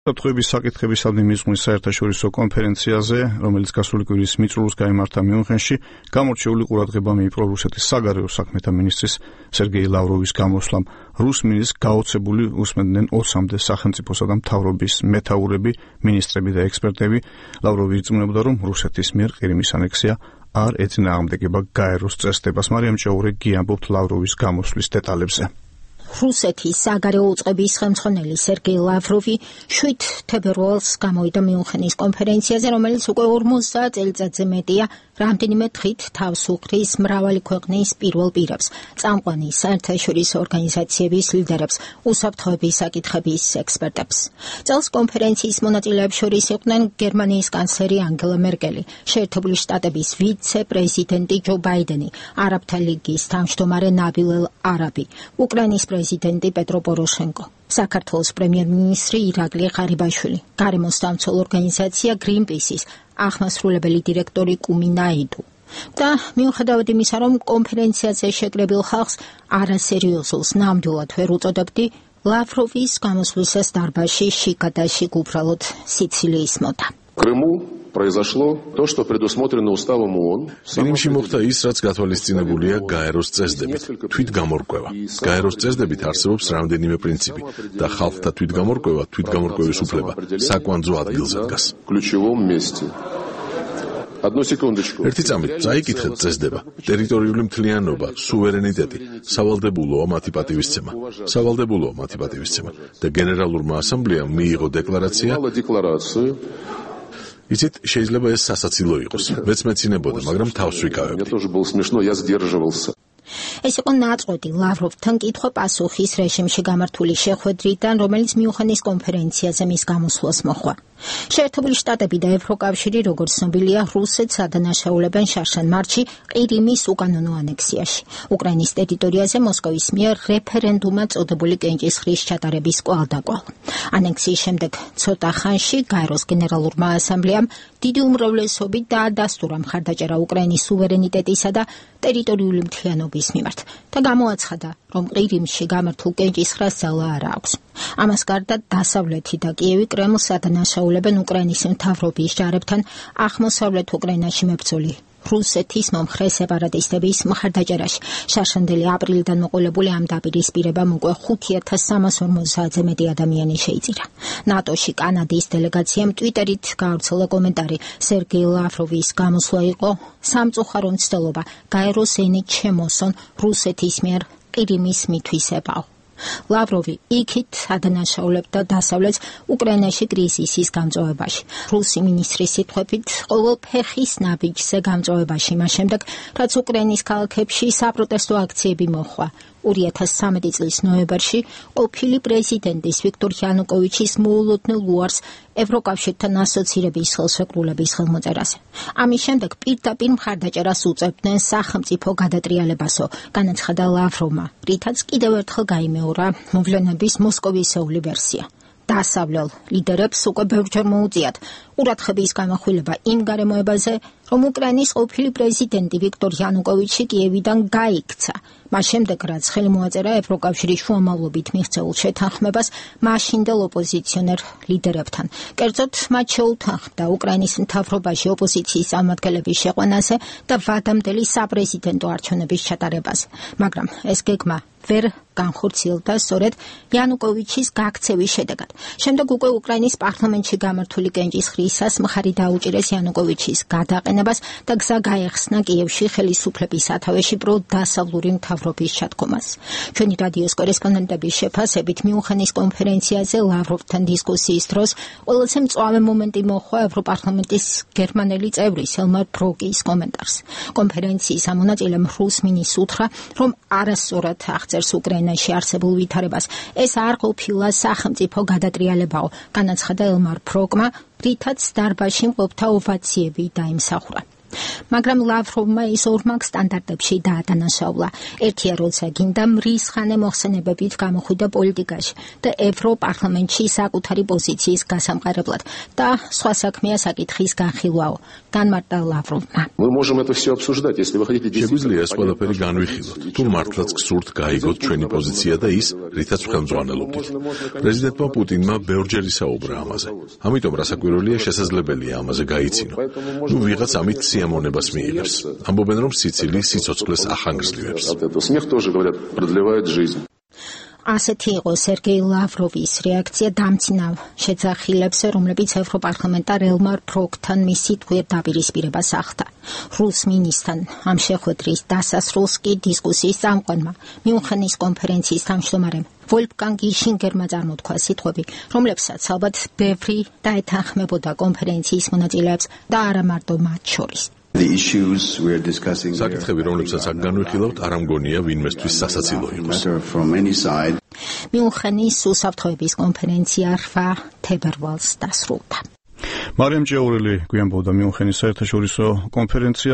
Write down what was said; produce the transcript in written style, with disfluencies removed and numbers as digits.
უსაფრთხოების საკითხებისადმი მიზღვის საერთაშორისო კონფერენციაზე, რომელიც გასული კვირის მიწურულს გაიმართა მიუნხენში, გამორჩეული ყურადღება მიიპყრო რუსეთის საგარეო საქმეთა მინისტრის სერგეი ლავროვის გამოსვლამ. რუსმინის გაოცებული უსმენდნენ 20-მდე სახელმწიფოსა და მთავრობის მეთაურები, მინისტრები და ექსპერტები. ლავროვი ირწმუნებდა, რომ რუსეთის მიერ ყირიმის ანექსია არ ეწინააღმდეგება გაეროს წესდებას. მარიამ ჭაურე გიამბობთ ლავროვის გამოსვლის დეტალებზე. რუსეთის საგარეო უწყების ხელმძღვანელი სერგეი ლავროვი 7 თებერვალს გამოვიდა მიუნხენის კონფერენციაზე, რომელიც უკვე 50 წელიწადზე მეტია, რამდენიმე დღით თავს უხდის მრავალი ქვეყნის პირველ პირებს, წამყვანი საერთაშორისო ორგანიზაციების ლიდერებს, უსაფრთხოების საკითხების ექსპერტებს. წელს კონფერენციის მონაწილეებს შორის იყვნენ გერმანიის კანცლერი ანგელა მერკელი, შეერთებული შტატების ვიცე-პრეზიდენტი ჯო ბაიდენი, არაბთა ლიგის თავმჯდომარე ნაბილ ელ არაბი, უკრაინის პრეზიდენტი პეტრო პოროშენკო, საქართველოს პრემიერ-მინისტრი ირაკლი ღარიბაშვილი, გარემოსდამცველ ორგანიზაცია გრინპისის აღმასრულებელი დირექტორი კუმი ნაიდუ. და მიუხედავად იმისა, რომ კონფერენციაზე შეკრებილ ხალხს არასერიოზულს ნამდვილად ვერ უწოდებდი, ლავროვის გამოსვლისას დარბაზში შიგადაშიგ უბრალოდ სიცილი ისმოდა. произошло то, что предусмотрено уставом ООН. Წინიმში მოხდა ის, რაც გათვალისწინებულია გაეროს წესდებით. თვითგამორკვევა. გაეროს წესდებით არსებობს რამდენიმე პრინციპი და ხალხთა თვითგამორკვევა, თვითგამორკვევის უფლება საკვანძო ადგილზე დგას. ერთი წამით წაიკითხეთ წესდება. ტერიტორიული მთლიანობა, სუვერენიტეტი, სავალდებულოა მათი პატივისცემა და გენერალურმა ასამბლეამ მიიღო декларация. იცით, შეიძლება ეს სასაცილო იყოს. მეც მეცინებოდა, მაგრამ თავს ვიკავებდი. ეს იყო ნაწყვეტი ლავროვთან კითხვა-პასუხის რეჟიმში გამართული შეხვედრიდან, რომელიც მიუნხენის კონფერენციაზე მის გამოსვლას მოჰყვა. შეერთებული შტატები და ევროკავშირი, როგორც ცნობილია, რუსეთს ადანაშაულებენ შარშან მარტში ყირიმის უკანონო ანექსიაში. უკრაინის ტერიტორიაზე მოსკოვის მიერ რეფერენდუმად წოდებული კენჭისყრის ჩატარების კვალდაკვალ. ანექსიის შემდეგ ცოტა ხანში გაეროს გენერალურმა ასამბლეამ დიდი უმრავლესობით დაადასტურა მხარდაჭერა უკრაინის სუვერენიტეტისა და ტერიტორიული მთლიანობის მიმართ და გამოაცხადა, რომ ყირიმში გამართულ კენჭისყრას ძალა არ აქვს. ამას გარდა დასავლეთი და კიევი კრემლს ადანაშაულებენ უკრაინის მთავრობის ჯარებთან აღმოსავლეთ უკრაინაში მებრძოლი რუსეთის მომხრე სეპარატისტების მხარდაჭერაში. შარშანდელი აპრილიდან მოყოლებული ამ დაპირისპირებამ უკვე 5350-ზე მეტი ადამიანი შეიწირა. ნატოში კანადის დელეგაციამ ტვიტერით გაავრცელა კომენტარი: სერგეი ლავროვის გამოსვლა იყო სამწუხარო მცდელობა, გაეროს ენით შემოსონ რუსეთის მიერ ყირიმის მითვისებაო. ლავროვი იქით ადანაშაულებდა დასავლეთს უკრაინაში კრიზისის გამწვავებაში. რუსი მინისტრის სიტყვებით, ყოველ ფეხის ნაბიჯზე გამწვავებაში მას შემდეგ, რაც უკრაინის ქალაქებში საპროტესტო აქციები მოხდა. 2013 წლის ნოემბერში ყოფილი პრეზიდენტის ვიქტორ იანუკოვიჩის მოულოდნელ უარს ევროკავშირთან ასოცირების ხელშეკრულების ხელმოწერაზე. ამის შემდეგ პირდაპირ მხარდაჭერას უწევდნენ სახელმწიფო გადატრიალებასო, განაცხადა ლავროვმა, რითაც კიდევ ერთხელ გაიმეორა მოვლენების მოსკოვისეული ვერსია. დასავლელ ლიდერებს უკვე ბევრჯერ მოუწიათ ყურადღების გამახვილება იმ გარემოებაზე, რომ უკრაინის ყოფილი პრეზიდენტი ვიქტორ იანუკოვიჩი კიევიდან გაიქცა. მას შემდეგ, რაც ხელი მოაწერა ევროკავშირის შუამავლობით მიღწეულ შეთანხმებას მაშინდელ ოპოზიციონერ ლიდერებთან. კერძოდ, მათ შეუთანხმდა უკრაინის მთავრობაში ოპოზიციის წარმომადგენლების შეყვანაზე და ვადამდელი საპრეზიდენტო არჩევნების ჩატარებაზე. მაგრამ ეს გეგმა ვერ განხორციელდა სწორედ იანუკოვიჩის გაქცევის შედეგად. შემდეგ უკვე უკრაინის პარლამენტში გამართული კენჭისყრისას მხარი დაუჭირეს იანუკოვიჩის გადაყენებას და გზა გაეხსნა კიევში ხელისუფლების სათავეში პროდასავლური მთავრობის ჩათქომას. ჩვენი რადიოს კორესპონდენტების შეფასებით მიუნხენის კონფერენციაზე ლავროვთან დისკუსიის დროს ყველაზე მწვავე მომენტი მოჰყვა ევროპარლამენტის გერმანელი წევრის ელმარ ბროკის კომენტარს. კონფერენციის ამონაწილემ რუსმინის უთხრა, რომ არასწორად აღწერს უკრაინაში არსებულ ვითარებას. ეს არ ყოფილა სახელმწიფო გადატრიალებაო, განაცხადა ელმარ ბროკმა, რითაც დარბაზში მყოფთა ოვაციები დაიმსახურა. მაგრამ ლავროვმა ის ორმაგ სტანდარტებში დაადანაშაულა. ერთია, როცა გინდა მრისხანე მოხსენებებით გამოხვიდა პოლიტიკაში და ევროპარლამენტში საკუთარი პოზიციის გასამყარებლად და სხვა საქმეა საკითხის განხილვაო. განმარტა ლავროვმა. შეგვიძლია ეს ყველაფერი განვიხილოთ, თუ მართლაც გსურთ გაიგოთ ჩვენი პოზიცია და ის, რითაც ხელმძღვანელობდით. პრეზიდენტმა პუტინმა ბევრჯერ ისაუბრა ამაზე. ამიტომ რასაკვირველია, შესაძლებელია ამაზე გაიცინო. ნუ ვიღაც ამით სიამოვნებას მიიღებს. ამბობენ, რომ სიცილი სიცოცხლეს ახანგრძლივებს. ასეთი იყო სერგეი ლავროვის რეაქცია დამცინავ შეძახილებს, რომლებიც ევროპარლამენტარ ელმარ ბროკთან მის სიტყვიერ დაპირისპირებას ახდა. რუს მინისტრთან ამ შეხვედრის დასასრულს კი დისკუსიის წამყვანმა მიუნხენის კონფერენციის თავმჯდომარემ ვოლფგანგი შინგერმა წარმოთქვა სიტყვები, რომლებსაც ალბათ ბევრი დაეთანხმებოდა კონფერენციის მონაწილეებს და არა მარტო მათ შორის. საკითხები, რომლებსაც აქ განვიხილავთ, არ ამგონია ვინმესთვის სასაცილო იყოს. მიუნხენის უსაფრთხოების კონფერენცია 8 თებერვალს დასრულდა. მარიამ ჭიაურელი გვიანბოდა მიუნხენის საერთაშორისო კონფერენცია.